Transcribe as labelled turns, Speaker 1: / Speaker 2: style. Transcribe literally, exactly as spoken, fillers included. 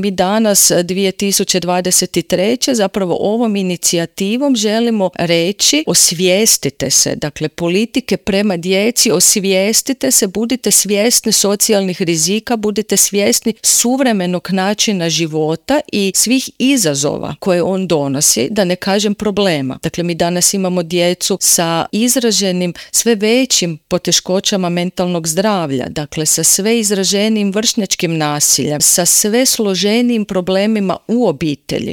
Speaker 1: Mi danas dvije tisuće dvadeset treće zapravo ovom inicijativom želimo reći osvijestite se, dakle politike prema djeci, osvijestite se, budite svjesni socijalnih rizika, budite svjesni suvremenog načina života i svih izazova koje on donosi, da ne kažem problema. Dakle, mi danas imamo djecu sa izraženim sve većim poteškoćama mentalnog zdravlja, dakle sa sve izraženijim vršnjačkim nasiljem, sa sve složenijim problemima u obitelji.